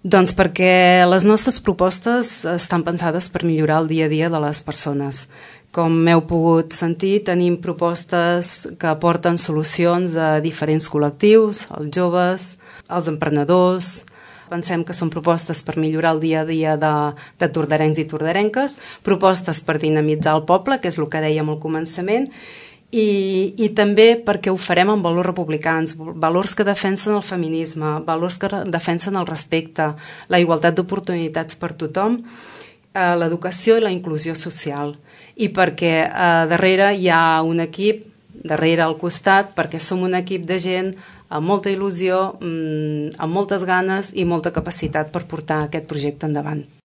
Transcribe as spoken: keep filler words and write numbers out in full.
Doncs perquè les nostres propostes estan pensades per millorar el dia a dia de les persones. Com heu pogut sentir, tenim propostes que aporten solucions a diferents col·lectius, als joves, als emprenedors. Pensem que són propostes per millorar el dia a dia de, de tordarencs i tordarenques, propostes per dinamitzar el poble, que és el que dèiem al començament, i, i també perquè ho farem amb valors republicans, valors que defensen el feminisme, valors que defensen el respecte, la igualtat d'oportunitats per tothom, eh, l'educació i la inclusió social. I perquè eh, darrere hi ha un equip, darrere al costat, perquè som un equip de gent amb molta il·lusió, amb moltes ganes i molta capacitat per portar aquest projecte endavant.